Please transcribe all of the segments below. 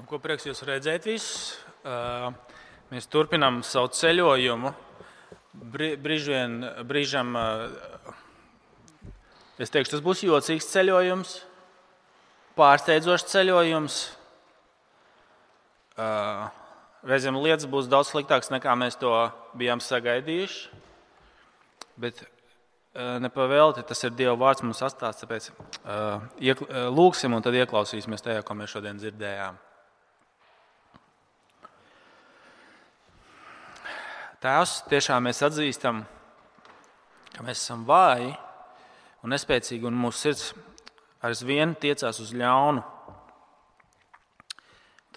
Ko prieks jūs redzēt visus. Mēs turpinām savu ceļojumu. Brīžam, es teikšu, tas būs jocīgs ceļojums, pārsteidzošs ceļojums. Reizēm lietas būs daudz sliktākas, nekā mēs to bijām sagaidījuši. Bet nepavēlti, tas ir Dieva vārds mums atstāts, tāpēc lūksim un tad ieklausīsimies tajā, ko mēs šodien dzirdējām. Tēvs, tiešām mēs atzīstam, ka mēs esam vāji un nespēcīgi, un mūsu sirds aizvien tiecās uz ļaunu.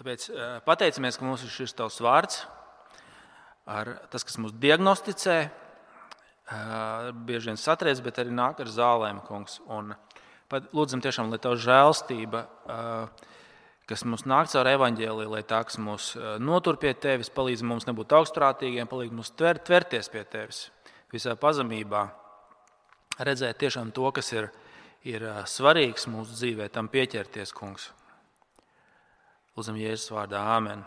Tāpēc pateicamies, ka mums ir šis tavs vārds, tas, kas mūs diagnosticē, bieži vien satriec, bet arī nāk ar zālēm, kungs. Un lūdzam tiešām, lai tava žēlstība, kas mums nāk caur evaņģēliju, lai tā, kas mūs notur pie tevis, palīdz mums nebūt augstprātīgiem, palīdz mums tverties pie tevis visā pazemībā, redzēt tiešām to, kas ir svarīgs mūsu dzīvē, tam pieķerties, kungs. Lūdzam Jēzus vārdā. Āmen.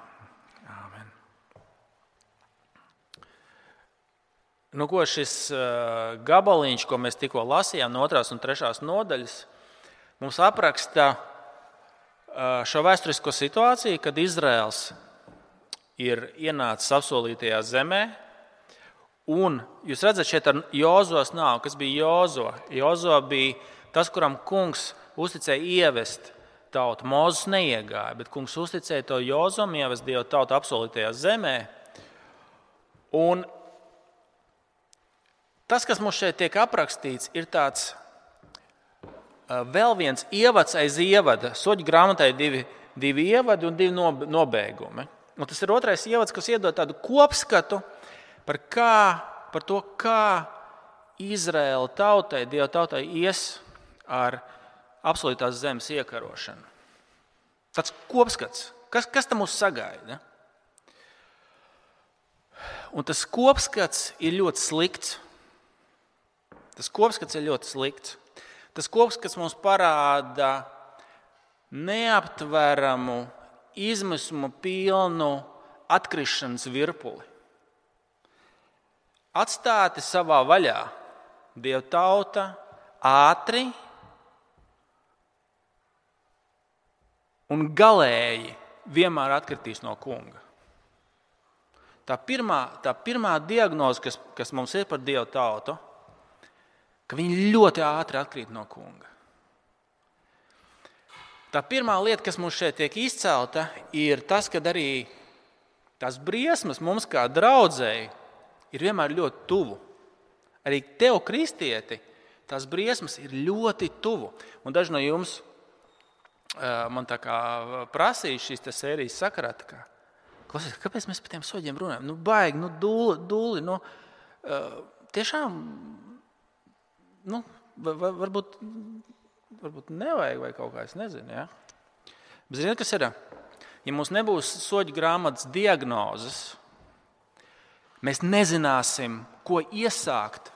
Āmen. Šis gabaliņš, ko mēs tikko lasījām no 2. un 3. nodaļas, mums apraksta šo vēsturisko situāciju, kad Izraels ir ienācis apsolītajā zemē. Un jūs redzat, šeit ar Jozos nav. Kas bija Jozo? Jozo bija tas, kuram kungs uzticēja ievest tautu. Mūzes neiegāja, bet kungs uzticēja to Jozom, ievest Dievu tautu apsolītajā zemē. Un tas, kas mums šeit tiek aprakstīts, ir tāds vēl viens ievads aiz ievada. Soļu grāmatai divi ievadi un 2 nobeigumi. Un tas ir 2. ievads, kas iedod tādu kopskatu par to, kā Izraēla tautai, Dieva tautai ies ar apsolītās zemes iekarošanu. Tāds kopskats. Kas tam mūs sagaida? Un tas kopskats ir ļoti slikts. Tas kopskats mums parāda neaptveramu, izmisumu pilnu atkrišanas virpuli. Atstāti savā vaļā Dieva tauta ātri un galēji vienmēr atkritīs no kunga. Tā pirmā diagnoze, kas mums ir par Dieva tautu, ka viņi ļoti ātri atkrīt no kunga. Tā pirmā lieta, kas mums šeit tiek izcelta, ir tas, ka arī tās briesmas mums kā draudzēji ir vienmēr ļoti tuvu. Arī tev, kristieti, tās briesmas ir ļoti tuvu. Un daži no jums man tā kā prasīja šīs sērijas sakarā, klausies, kāpēc mēs par tiem soļiem runājam? Baigi, dūli, tiešām, varbūt nevajag vai kaut kā, es nezinu, ja? Bet ziniet, kas ir? Ja mums nebūs soļu grāmatas diagnozes, mēs nezināsim, ko iesākt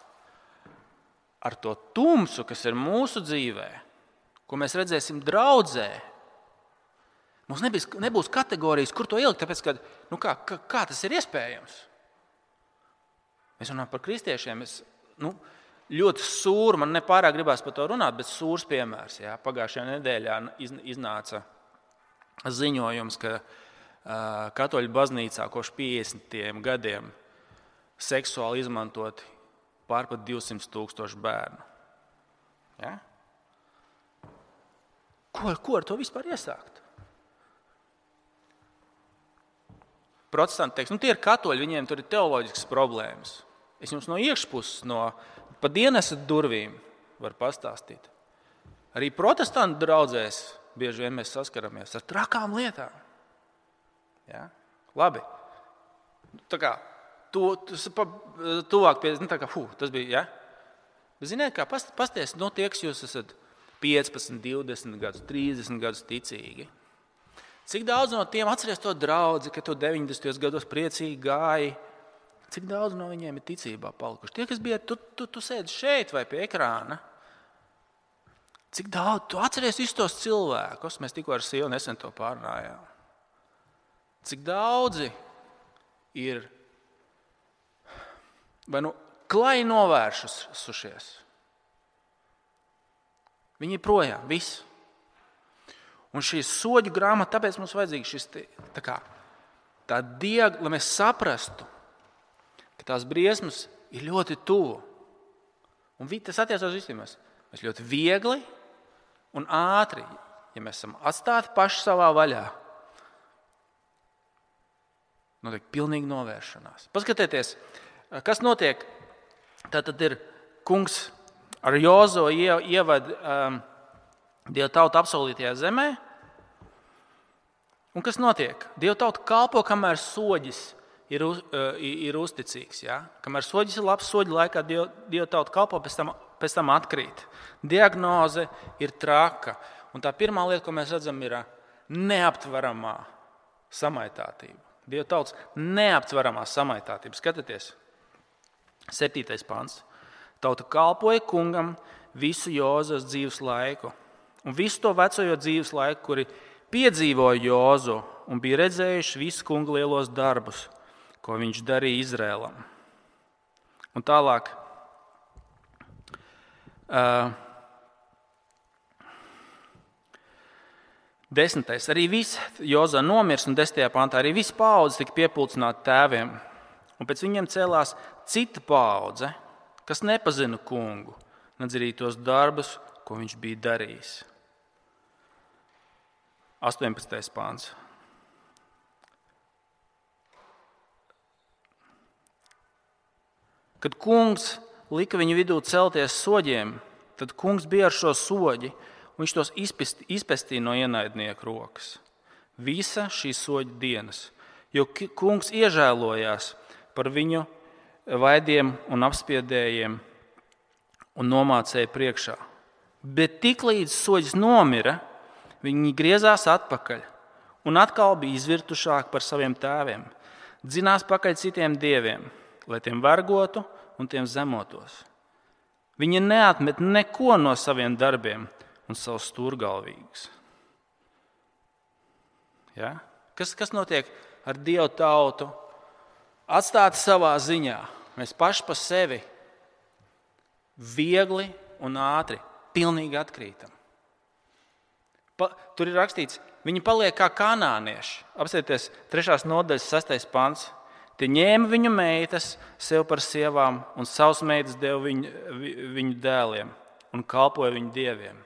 ar to tumsu, kas ir mūsu dzīvē, ko mēs redzēsim draudzē. Mums nebūs kategorijas, kur to ielikt, tāpēc, ka kā tas ir iespējams? Mēs runājam par kristiešiem, ļoti sūri, man nepārāk gribās par to runāt, bet sūrs piemērs. Jā. Pagājušajā nedēļā iznāca ziņojums, ka katoļu baznīcā kopš 50 gadiem seksuāli izmantoti pārpat 200,000 bērnu. Ja? Ko ar to vispār iesākt? Protestanti teiks, tie ir katoļi, viņiem tur ir teoloģiskas problēmas. Es jums no iekšpuses, pa dienas durvīm varu pastāstīt. Arī protestantu draudzēs bieži vien mēs saskaramies ar trakām lietām. Ja? Labi. Tā kā tuvāk pie, tas bija, ja? Bet ziniet, kā pasties, tie, kas jūs esat 15, 20 gadus, 30 gadus ticīgi. Cik daudz no tiem atceries to draudzi, ka tu 90. gados priecīgi gāji? Cik daudz no viņiem ir ticībā palikuši? Tie, kas bija, tu sēdi šeit vai pie ekrāna. Cik daudz, tu atceries visus tos cilvēkus, mēs tikko ar sievu nesen to pārnājām. cik daudzi ir vai klai novēršušies. Viņi ir projām, viss. Un šī soļu grāmata, tāpēc mums vajadzīgs šis lai mēs saprastu, ka tās briesmas ir ļoti tuvu. Un tas attiecās uz visiem. Mēs ļoti viegli un ātri, ja mēs esam atstāti paši savā vaļā, notiek pilnīga novēršanās. Paskatieties, kas notiek. Tātad ir kungs ar Jozo ieved Dieva tautu apsolītajā zemē. Un kas notiek? Dieva tauta kalpo, kamēr soģis ir uzticīgs. Ja? Kamēr soģis ir labs, soģi laikā Dieva tauta kalpo, pēc tam atkrīt. Diagnoze ir traka. Un tā pirmā lieta, ko mēs redzam, ir neaptveramā samaitātība. Dieva tautas neaptveramā samaitātība. Skatieties, 7. pants. Tauta kalpoja kungam visu Jozas dzīves laiku. Un visu to vecojo dzīves laiku, kuri piedzīvoja Jozu un bija redzējuši visu kunga lielos darbus, ko viņš darīja Izrēlam. Un tālāk. 10. Arī viss Jozā nomirs, un 10. pantā arī viss paudze tika piepulcināta tēviem. Un pēc viņiem cēlās cita paudze, kas nepazina kungu, nedz arī tos darbus, ko viņš bija darījis. 18. pāns. Kad kungs lika viņu vidū celties soģiem, tad kungs bija ar šo soģi, un viņš tos izpestīja no ienaidnieku rokas. Visa šī soģa dienas, jo kungs iežēlojās par viņu vaidiem un apspiedējiem un nomācēja priekšā. Bet tiklīdz soģis nomira, viņi griezās atpakaļ un atkal bija izvirtušāki par saviem tēviem. Dzinās pakaļ citiem dieviem, lai tiem vergotu un tiem zemotos. Viņi neatmet neko no saviem darbiem un savus stūrgalvīgus. Ja? Kas notiek ar Dievu tautu? Atstāti savā ziņā. Mēs paši pa sevi viegli un ātri pilnīgi atkrītam. Tur ir rakstīts, viņi paliek kā kanānieši. Apskatieties, 3. nodaļas 6. pants. Tie ņēma viņu meitas sev par sievām un savus meitas deva viņu dēliem un kalpoja viņu dieviem.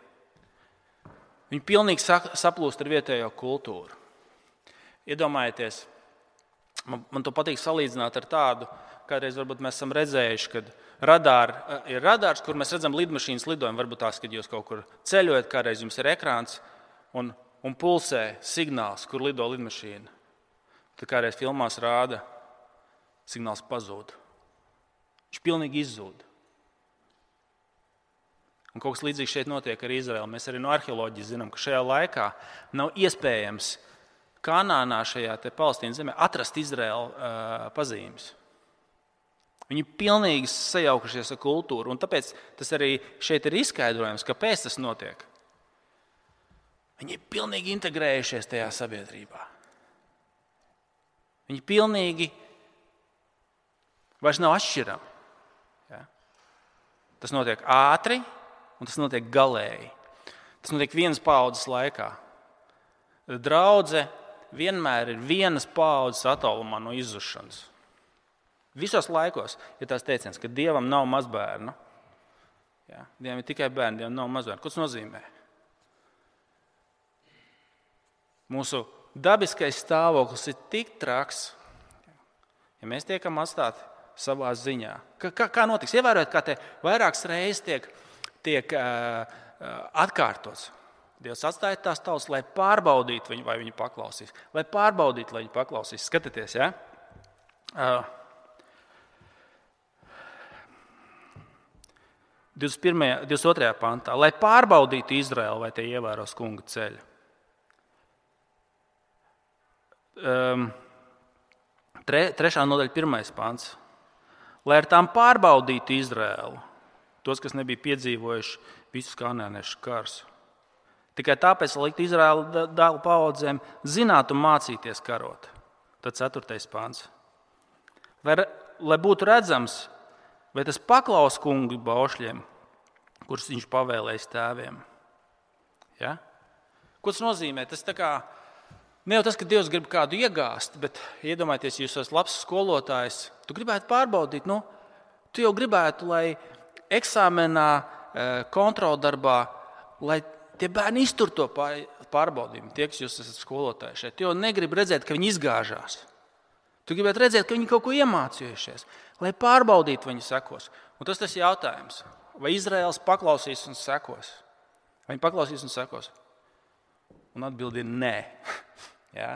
Viņi pilnīgi saplūst ar vietējo kultūru. Iedomājieties, man to patīk salīdzināt ar tādu, kādreiz varbūt mēs esam redzējuši, kad ir radārs, kur mēs redzam lidmašīnas lidojumu. Varbūt tās, kad jūs kaut kur ceļojat, kādreiz jums ir ekrāns un pulsē signāls, kur lido lidmašīna. Tad kādreiz filmās rāda, signāls pazūd. Viņš pilnīgi izzūd. Un kaut kas līdzīgs šeit notiek ar Izraēlu. Mēs arī no arheoloģijas zinām, ka šajā laikā nav iespējams Kanānā, šajā Palestīnas zemē, atrast Izraēlu pazīmes. Viņi pilnīgi sajaukušies ar kultūru, un tāpēc tas arī šeit ir izskaidrojams, kāpēc tas notiek. Viņi ir pilnīgi integrējušies tajā sabiedrībā. Viņi pilnīgi vairs nav atšķirami. Ja? Tas notiek ātri, un tas notiek galēji. Tas notiek vienas paaudzes laikā. Draudze vienmēr ir vienas paaudzes attālumā no izzušanas. Visos laikos ir tās teiciens, ka Dievam nav mazbērnu. Ja? Dievam ir tikai bērni, Dievam nav mazbērnu. Ko tas nozīmē? Mūsu dabiskais stāvoklis ir tik traks, ja mēs tiekam atstāti savā ziņā. Kā notiks? Ievērojiet, kā te vairākas reizes tiek atkārtots. Dievs atstāja tās tautas, lai pārbaudītu viņu, vai viņi paklausīs. Lai pārbaudītu, lai viņi paklausīs. Skatieties, ja? 22. pantā. Lai pārbaudītu Izraēlu, vai tie ievēros kunga ceļu. 3. nodaļa 1. pants. Lai ar tām pārbaudītu Izraēlu, tos, kas nebija piedzīvojuši visus kanāniešu karus. Tikai tāpēc, lai liktu Izraēlu dēlu paaudzēm zināt un mācīties karot. Tad 4. pāns. Lai būtu redzams, vai tas paklaus kungu baušļiem, kurus viņš pavēlējis tēviem. Ja? Ko tas nozīmē? Tas tā kā, ne jau tas, ka Dievs grib kādu iegāzt, bet iedomājieties, jūs esat labs skolotājs, tu gribētu pārbaudīt, tu jau gribētu, lai eksāmenā, kontroldarbā, lai tie bērni iztur to pārbaudījumu, tie, kas jūs esat skolotāji šeit. Tu jau negribi redzēt, ka viņi izgāžās. Tu gribētu redzēt, ka viņi kaut ko iemācījušies, lai pārbaudītu viņu sekos. Un tas ir jautājums, vai Izraēls paklausīs un sekos? Vai viņi paklausīs un sekos? Un atbildi ir nē. Ja?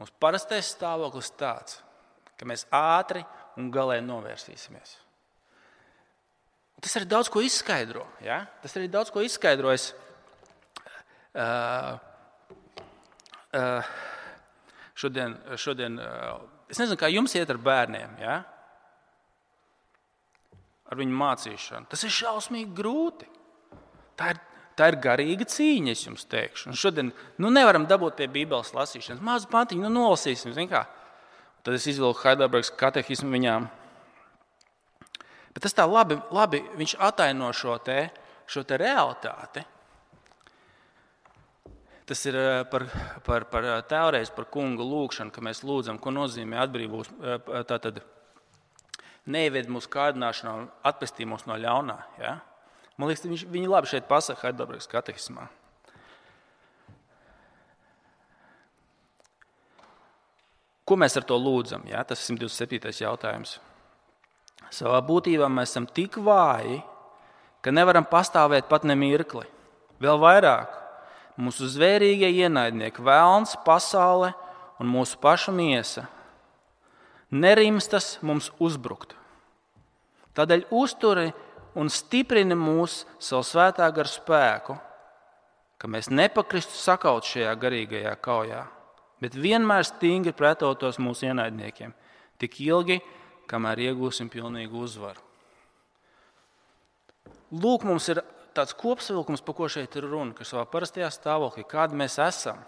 Mums parastais stāvoklis tāds, ka mēs ātri un galēji novērsīsimies. Tas arī daudz ko izskaidro. Ja? Tas arī daudz ko izskaidro. Šodien, es nezinu, kā jums iet ar bērniem, ja? Ar viņu mācīšanu. Tas ir šausmīgi grūti. Tā ir garīga cīņa, es jums teikšu. Un šodien nevaram dabūt pie Bībeles lasīšanas. Mazu pantiņu, nolasīsim. Tad es izvilku Heidelbergas katehismu viņām. Bet tas tā labi viņš ataino šo te realitāti. Tas ir par teoreiz par kunga lūgšanu, ka mēs lūdzam, ko nozīmē atbrīvos, tātad neieved mūsu kārdināšanā un atpestī mūs no ļaunā. Ja? Man liekas, viņi labi šeit pasaka Heidelbergas katehismā. Ko mēs ar to lūdzam? Ja? Tas ir 127. jautājums. Savā būtībā mēs esam tik vāji, ka nevaram pastāvēt pat ne mirkli. Vēl vairāk, mūsu zvērīgie ienaidnieki, velns, pasaule un mūsu paša miesa nerimstas mums uzbrukt. Tādēļ uzturi un stiprini mūs savu svētā gara spēku, ka mēs nepakristu sakaut šajā garīgajā kaujā, bet vienmēr stingri pretotos mūsu ienaidniekiem, tik ilgi, kamēr iegūsim pilnīgu uzvaru. Lūk, mums ir tāds kopsavilkums, par ko šeit ir runa, ka savā parastajā stāvoklī, kādi mēs esam,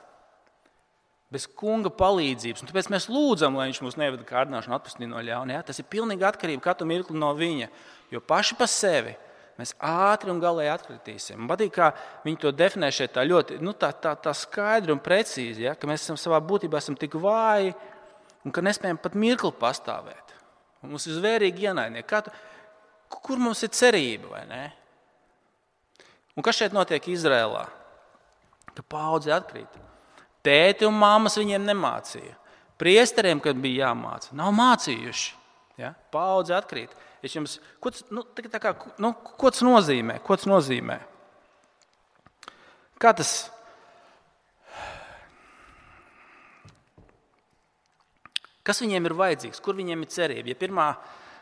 bez kunga palīdzības. Un tāpēc mēs lūdzam, lai viņš mūs nevada kārdināšanu atpestī no ļauna. Ja? Tas ir pilnīgi atkarība katru mirkli no viņa, jo paši pa sevi mēs ātri un galēji atkritīsim. Man patīk, kā viņi to definē šeit tā ļoti tā skaidri un precīzi, ja? Ka mēs savā būtībā esam tik vāji un ka nespējam pat mirkli pastāvēt. Un mums ir zvērīgi ienaidnieki. Kur mums ir cerība, vai ne? Un kas šeit notiek Izrēlā? Ka paudze atkrīt. Tēti un māmas viņiem nemācīja. Priesteriem, kad bija jāmāca, nav mācījuši. Ja? Paudze atkrīt. Ko tas nozīmē? Ko tas nozīmē? Kā tas? Kas viņiem ir vajadzīgs? Kur viņiem ir cerība?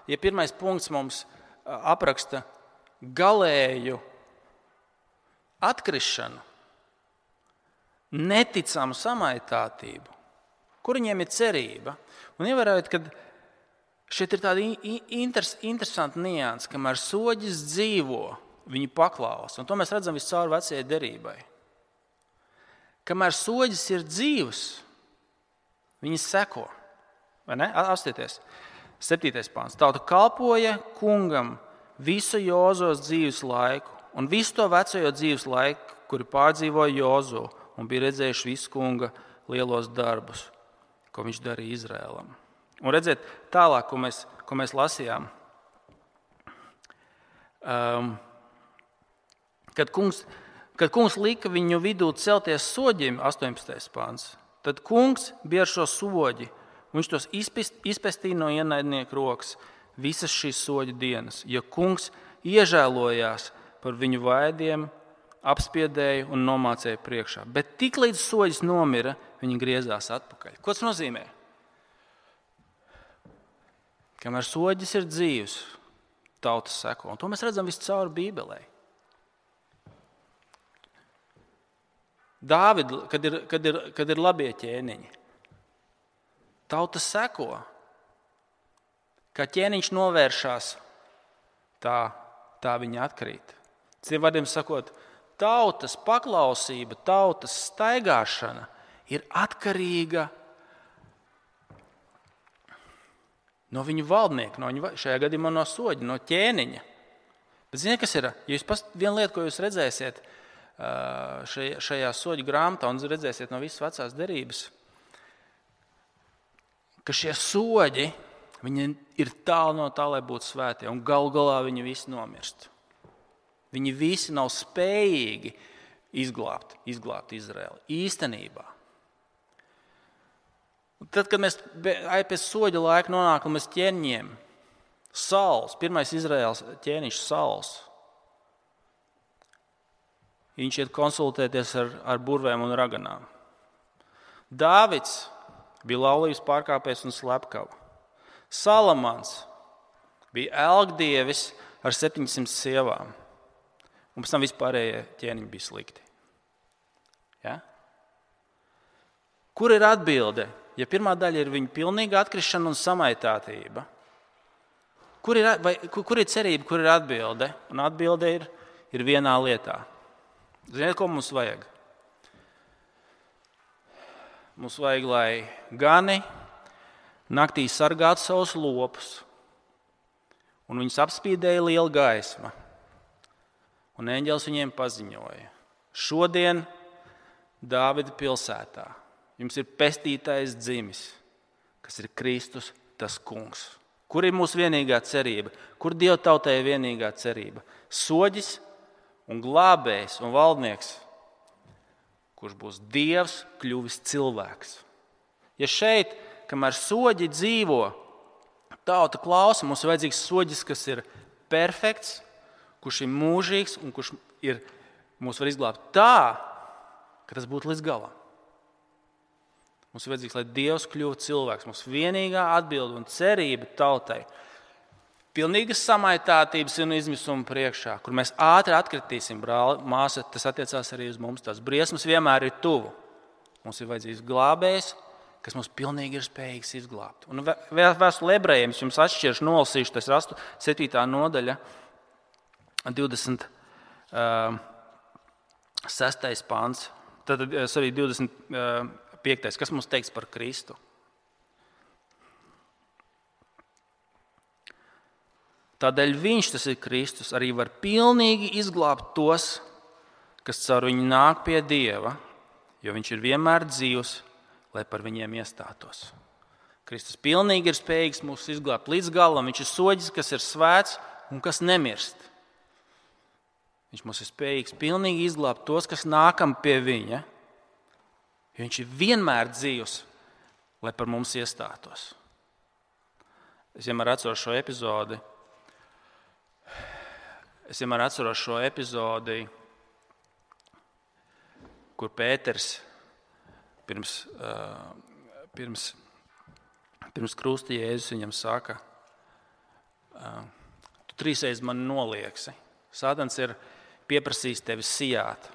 Ja pirmais punkts mums apraksta galēju atkrišanu, neticamu samaitātību, kur viņiem ir cerība? Un ievērojot, ka šeit ir tāda interesanta nianse, kamēr soģis dzīvo, viņi paklausa. Un to mēs redzam viscaur vecajai derībai. Kamēr soģis ir dzīvs, viņi seko. Vai ne? Apstieties. 7. pāns. Tauta kalpoja kungam visu Jozos dzīves laiku un visu to vecojo dzīves laiku, kuri pārdzīvoja Jozu un bija redzējuši visu kunga lielos darbus, ko viņš darīja Izrēlam. Un redziet tālāk, ko mēs lasījām. Kad kungs lika viņu vidū celties soģiem, 18. pāns, tad kungs bija ar šo soģi. Viņš tos izpestīja no ienaidnieku rokas visas šīs soļa dienas, jo kungs iežēlojās par viņu vaidiem, apspiedēja un nomācēja priekšā. Bet tiklīdz soļis nomira, viņi griezās atpakaļ. Ko tas nozīmē? Kamēr soļis ir dzīvs, tautas seko. Un to mēs redzam viscaur Bībelē. Dāvid, kad ir labie ķēniņi, tauta seko, kā ķēniņš novēršās, tā viņa atkrīt. Citiem vārdiem sakot, tautas paklausība, tautas staigāšana ir atkarīga no viņu valdnieka, šajā gadījumā no soģa, no ķēniņa. Bet ziniet, kas ir? Ja jūs viena lieta, ko jūs redzēsiet šajā soģa grāmatā un redzēsiet no visas vecās derības, ka šie soģi, viņi ir tālu no tā, lai būtu svētie, un galu galā viņi visi nomirst. Viņi visi nav spējīgi izglābt Izraeli. Īstenībā. Tad, kad mēs pēc soģa laika nonākam līdz ķēniņiem, Sauls, pirmais Izraēlas ķēniņš Sauls, viņš iet konsultēties ar burvēm un raganām. Dāvids bija laulības pārkāpējs un slepkava. Salamans bija elgdievis ar 700 sievām. Un pēc tam vispārējie ķēniņi bija slikti. Ja? Kur ir atbilde? Ja pirmā daļa ir viņa pilnīga atkrišana un samaitātība, kur ir cerība, kur ir atbilde? Un atbilde ir vienā lietā. Ziniet, ko mums vajag? Mums vajag, lai gani naktī sargātu savus lopus, un viņus apspīdēja liela gaisma. Un eņģelis viņiem paziņoja: šodien Dāvida pilsētā jums ir pestītais dzimis, kas ir Kristus, tas kungs. Kur ir mūsu vienīgā cerība? Kur Dieva tautai ir vienīgā cerība? Soģis un glābējs un valdnieks, kurš būs Dievs, kļuvis cilvēks. Ja šeit, kamēr soģi dzīvo, tauta klausa, mums ir vajadzīgs soģis, kas ir perfekts, kurš ir mūžīgs un kurš mūs var izglābt tā, ka tas būtu līdz galam. Mums ir vajadzīgs, lai Dievs kļūtu cilvēks. Mums vienīgā atbilde un cerība tautai. Pilnīgas samaitātības un izmisuma priekšā, kur mēs ātri atkritīsim, brāli, māsa, tas attiecās arī uz mums. Tās briesmas vienmēr ir tuvu. Mums ir vajadzīgs glābējs, kas mums pilnīgi ir spējīgs izglābt. Un vēstule ebrejiem, es jums atšķiršu, nolasīšu, tas ir 7. nodaļa, 26. pāns, tad arī 25. Kas mums teiks par Kristu? Tādēļ viņš, tas ir Kristus, arī var pilnīgi izglābt tos, kas caur viņu nāk pie Dieva, jo viņš ir vienmēr dzīvs, lai par viņiem iestātos. Kristus pilnīgi ir spējīgs mūs izglābt līdz galam. Viņš ir soģis, kas ir svēts un kas nemirst. Viņš mums ir spējīgs pilnīgi izglābt tos, kas nākam pie viņa, jo viņš ir vienmēr dzīvs, lai par mums iestātos. Es vienmēr atceros šo epizodi, kur Pēters pirms krusta Jēzus viņam saka: tu 3 reizes mani nolieksi. Sātans ir pieprasījis tevi sijāt.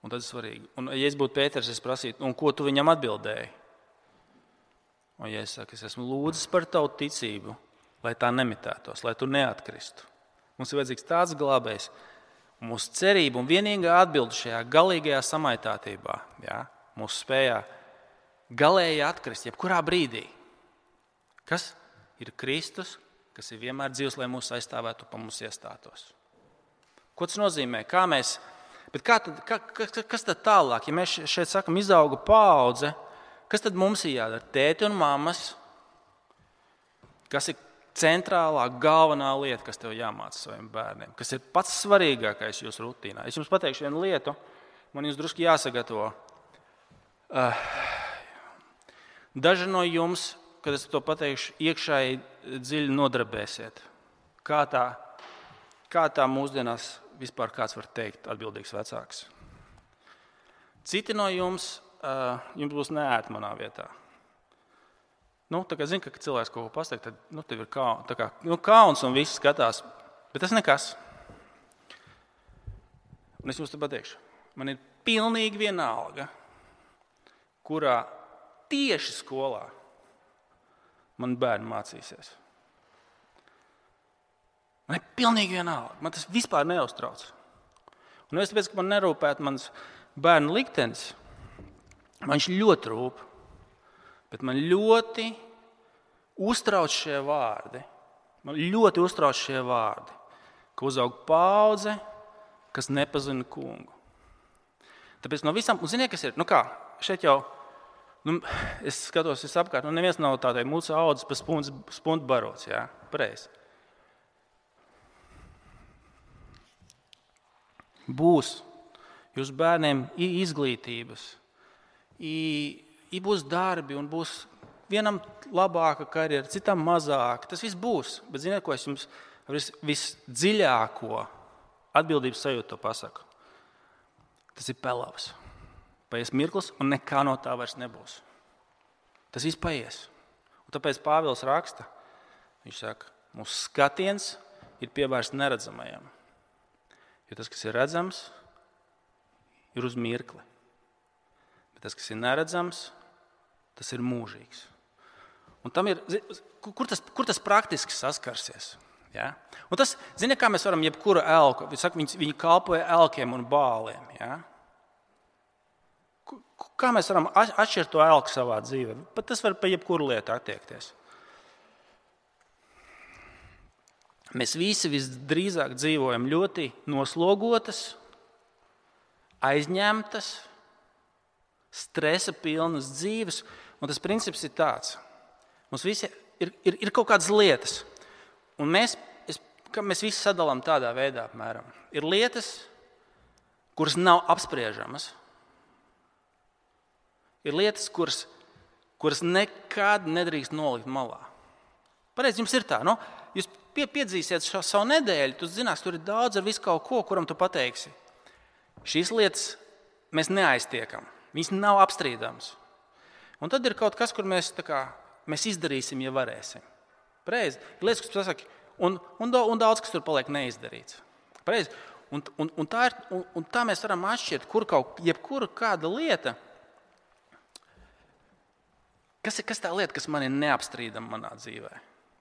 Un tas ir svarīgi. Un, ja es būtu Pēters, es prasītu, un ko tu viņam atbildēji? Un ja es saku, es esmu lūdzis par tavu ticību, lai tā nemitētos, lai tu neatkristu. Mums ir vajadzīgs tāds glābējs. Un mūsu cerība un vienīgā atbilde šajā galīgajā samaitātībā, mūsu spējā galēji atkrist, jebkurā brīdī. Kas ir Kristus, kas ir vienmēr dzīvs, lai mūs aizstāvētu un pa mums iestātos. Ko tas nozīmē? Kas tad tālāk? Ja mēs šeit sakam, izauga paudze, kas tad mums ir jādara? Tēti un mammas, kas ir centrālā, galvenā lieta, kas tev jāmāca saviem bērniem, kas ir pats svarīgākais jūsu rutīnā. Es jums pateikšu vienu lietu, man jums drusku jāsagatavo. Daži no jums, kad es to pateikšu, iekšēji dziļi nodarbēsiet. Kā tā mūsdienās vispār kāds var teikt atbildīgs vecāks? Citi no jums būs neērti manā vietā. Tā kā zinu, ka cilvēks kaut ko pasaka, tad tev ir kauns un viss skatās. Bet tas nekas. Un es jums te pateikšu, man ir pilnīgi vienalga, kurā tieši skolā man bērni mācīsies. Man ir pilnīgi vienalga. Man tas vispār neuztrauc. Un es tāpēc, ka man nerūpētu mans bērnu liktenis, man viņš ļoti rūp. Bet man ļoti uztrauc šie vārdi. Man ļoti uztrauc šie vārdi, ka uzaug paudze, kas nepazina kungu. Tāpēc no visām, un ziniet, kas ir? Šeit jau, es skatos, apkārt, neviens nav tādai mūsu audzes pa spundu barots, jā, pareizi. Būs jūsu bērniem izglītības, būs darbi un būs vienam labāka karjera, citam mazāka. Tas viss būs. Bet ziniet, ko es jums visdziļāko atbildības sajūtu pasaku? Tas ir pelavs. Paies mirklis un nekā no tā vairs nebūs. Tas viss paies. Un tāpēc Pāvils raksta, viņš saka, mūsu skatiens ir pievērsts neredzamajam. Jo tas, kas ir redzams, ir uz mirkli. Bet tas, kas ir neredzams, tas ir mūžīgs. Un tam ir, kur tas praktiski saskarsies? Ja? Un tas, ziniet, kā mēs varam jebkuru elku, viņi kalpoja elkiem un bāliem. Ja? Kā mēs varam atšķirt to elku savā dzīvē? Pat tas var pa jebkuru lietu attiekties. Mēs visi visdrīzāk dzīvojam ļoti noslogotas, aizņemtas, stresa pilnas dzīves, un tas princips ir tāds. Mums visi ir kaut kādas lietas, un mēs visi sadalām tādā veidā, apmēram. Ir lietas, kuras nav apspriežamas. Ir lietas, kuras nekad nedrīkst nolikt malā. Pareizi, jums ir tā, no? Jūs piedzīsiet šo savu nedēļu, tu zinās, tur ir daudz ar visu kaut ko, kuram tu pateiksi. Šīs lietas mēs neaiztiekam, viņas nav apstrīdamas. Un tad ir kaut kas, kur mēs izdarīsim, ja varēsim. Pareizi. Ir lietas, kas pasaka, un daudz, kas tur paliek neizdarīts. Pareizi. Un tā mēs varam atšķirt, jebkura kāda lieta, kas tā lieta, kas man ir neapstrīdama manā dzīvē.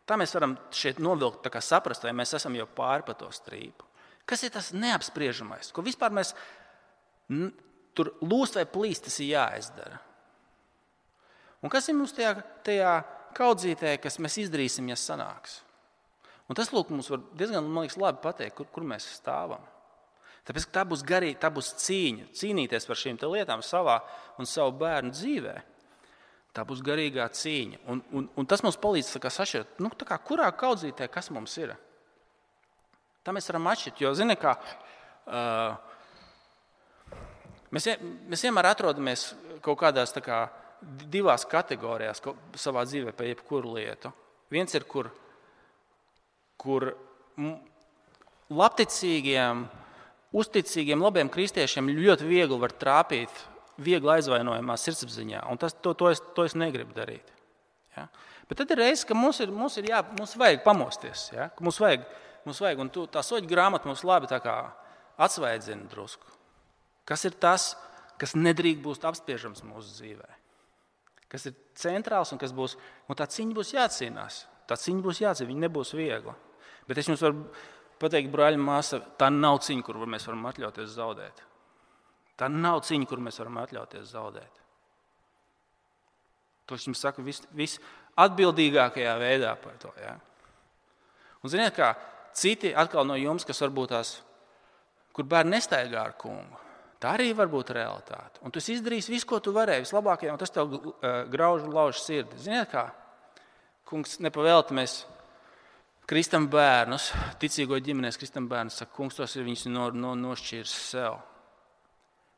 Tā mēs varam šeit novilkt, saprast, vai mēs esam jau pāri pa to strīpu. Kas ir tas neapspriežamais, ko vispār mēs tur lūst vai plīst, tas ir jāizdara. Un kas ir mums tajā kaudzītē, kas mēs izdarīsim, ja sanāks? Un tas, lūk, mums var diezgan, man liekas, labi pateikt, kur mēs stāvam. Tāpēc tā būs garīga, tā būs cīnīties par šīm lietām savā un savu bērnu dzīvē. Tā būs garīgā cīņa. Un tas mums palīdz sašķirt, kurā kaudzītē, kas mums ir. Tā mēs varam atšķirt, jo, zini, kā mēs vienmēr atrodamies kaut kādās divās kategorijās savā dzīvē par jebkuru lietu. Viens ir, kur labticīgiem, uzticīgiem, labiem kristiešiem ļoti viegli var trāpīt viegli aizvainojamā sirdsapziņā, un to es negribu darīt. Ja? Bet tad ir reizes, ka mums vajag pamosties, ja? Mums vajag, un tā soļu grāmata mums labi atsvaidzina drusku. Kas ir tas, kas nedrīkst būt apspiežams mūsu dzīvē? Kas ir centrāls un kas būs, un tā cīņa būs jācīnās. Viņa nebūs viegla. Bet es jums varu pateikt, brāļi, māsa, tā nav cīņa, kur mēs varam atļauties zaudēt. Tā nav cīņa, kur mēs varam atļauties zaudēt. To es jums saku visatbildīgākajā veidā par to. Ja? Un ziniet, kā citi atkal no jums, kas varbūt kur bērni nestaigā ar kungu, tā arī var būt realitāte. Un tu izdarīsi visu, ko tu varēji, vislabākajā, un tas tev grauž un lauž sirdi. Ziniet kā? Kungs, nepavēlti mēs kristam bērnus, ticīgo ģimenēs kristam bērnus, saka, kungs, tos ir viņus nošķīrs sev.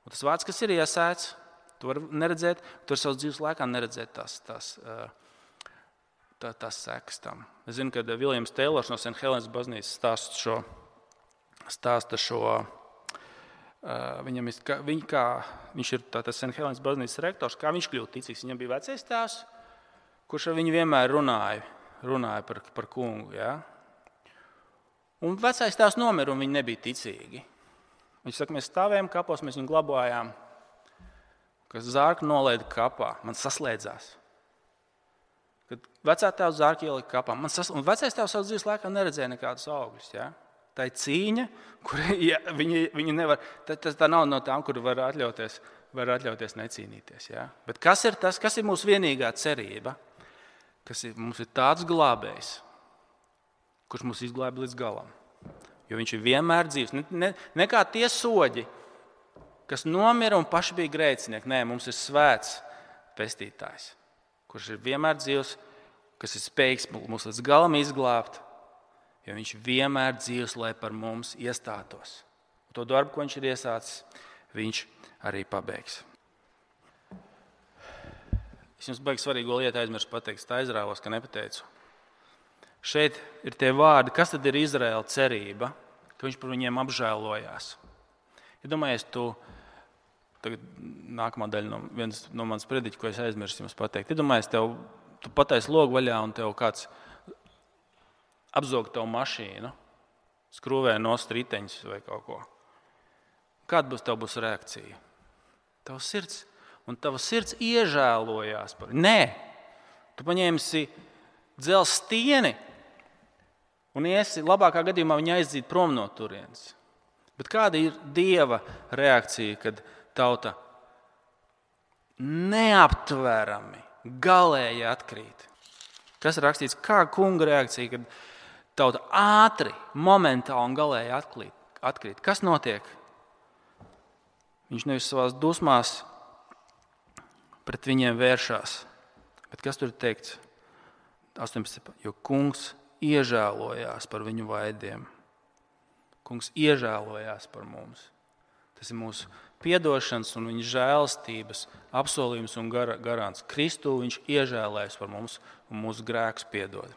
Un tas vārds, kas ir iesēts, tu vari neredzēt, tu vari savas dzīves laikā neredzēt tās sekas tam. Es zinu, ka Viljams Teilors no St. Helens baznīcas stāsta šo viņš ir St. Helens baznīcas rektors, kā viņš kļūst ticīgs. Viņam bija vecais tēvs, kurš ar viņu vienmēr runāja par kungu. Ja? Un vecais tēvs nomira, un viņi nebija ticīgi. Viņš saka, mēs stāvējām kapos, mēs viņu glabājām, kad zārku nolaida kapā, man saslēdzās. Kad vecā tēvs zārku ielika kapā, un vecais tēvs savas dzīves laikā neredzēja nekādus augļus. Ja? Tā ir cīņa, kur viņi nevar, tā nav no tām, kur var atļauties necīnīties. Ja? Bet kas ir tas, kas ir mūsu vienīgā cerība? mums ir tāds glābējs, kurš mūs izglābj līdz galam. Jo viņš ir vienmēr dzīvs. Ne kā tie soģi, kas nomira un paši bija grēcinieki. Nē, mums ir svēts pestītājs, kurš ir vienmēr dzīvs, kas ir spējīgs mūs līdz galam izglābt, jo viņš vienmēr dzīvs, lai par mums iestātos. Un to darbu, ko viņš ir iesācis, viņš arī pabeigs. Es jums baigi svarīgo lietu aizmirsu pateikt, tā aizrāvos, ka nepateicu. Šeit ir tie vārdi, kas tad ir Izraēla cerība, ka viņš par viņiem apžēlojās. Iedomājies, tagad nākamā daļa no manas prediķa, ko es aizmirsu jums pateikt. Iedomājies, tu pataisi logu vaļā un tev kāds apzog tavu mašīnu, skrūvē nost riteņus vai kaut ko. Kāda būs reakcija? Tava sirds iežēlojās par viņu. Nē, tu paņēmsi dzelzs stieni un iesi labākā gadījumā viņu aizdīt prom no turienes. Bet kāda ir Dieva reakcija, kad tauta neaptverami, galēji atkrīt? Kas ir rakstīts, kā kunga reakcija, kad tauta ātri, momentāli un galēji atkrīt? Kas notiek? Viņš nevis savās dusmās pret viņiem vēršās. Bet kas tur ir teikts? 18. Jo kungs iežēlojās par viņu vaidiem. Kungs iežēlojās par mums. Tas ir mūsu piedošanas un viņa žēlstības apsolījums un garants. Kristū viņš iežēlējas par mums un mūsu grēkus piedod.